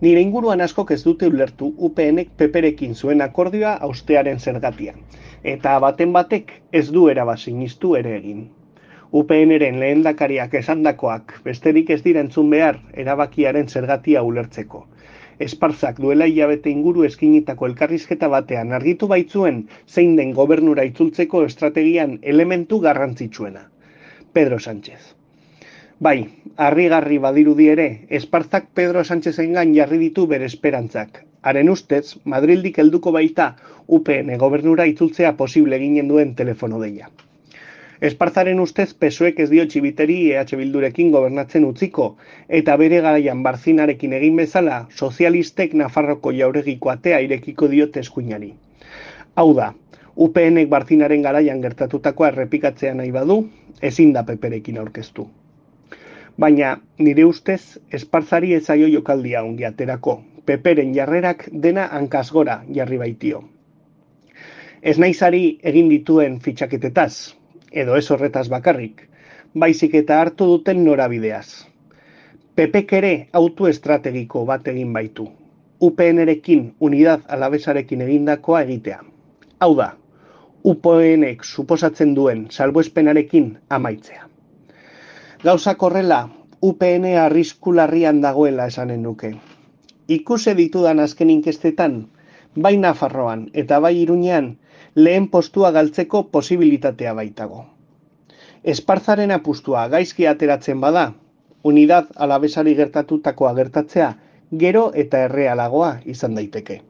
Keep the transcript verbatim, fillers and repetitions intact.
Nire inguruan askok ez dute ulertu U PNek Peperekin zuen akordioa haustearen zergatia, eta baten batek ez du eraba sinistu ere egin. U P Nren lehendakariak esandakoak besterik ez dira entzun behar erabakiaren zergatia ulertzeko. Esparzak duela hilabete inguru eskinitako elkarrizketa batean argitu baitzuen zein den gobernura itzultzeko estrategian elementu garrantzitsuena. Pedro Sánchez. Bai, harrigarri badirudi ere, Esparzak Pedro Sánchezengan jarri ditu bere esperantzak. Haren ustez, Madrildik helduko baita U P N gobernura itzultzea posible eginen duen telefono deia. Esparzaren ustez P S O Ek ez dio txibiteri E H Bildurekin gobernatzen utziko, eta bere garaian Barzinarekin egin bezala, sozialistek Nafarroko jauregiko atea irekiko diote eskuinari. Hau da, U P Nek Barzinaren garaian gertatutakoa errepikatzea nahi badu, ezin da Peperekin aurkeztu. Baina, nire ustez, Esparzari ez zaio jokaldia ongi aterako, Peperen jarrerak dena hankasgora jarri baitio. Ez naizari egin dituen fitxaketetaz, edo ez horretaz bakarrik, baizik eta hartu duten norabideaz. Pepek ere auto estrategiko bat egin baitu, U P Nrekin Unidad Alabesarekin egindakoa egitea. Hau da, U P Nek suposatzen duen salbuespenarekin amaitzea. Gauzak horrela, U P N arrisku larrian dagoela esanen nuke. Ikuse ditudan azken inkestetan, bai Nafarroan eta bai Iruñean, lehen postua galtzeko posibilitatea baitago. Esparzaren apustua gaizki ateratzen bada, Unidad Alabesari gertatutakoa gertatzea, gero eta errealagoa izan daiteke.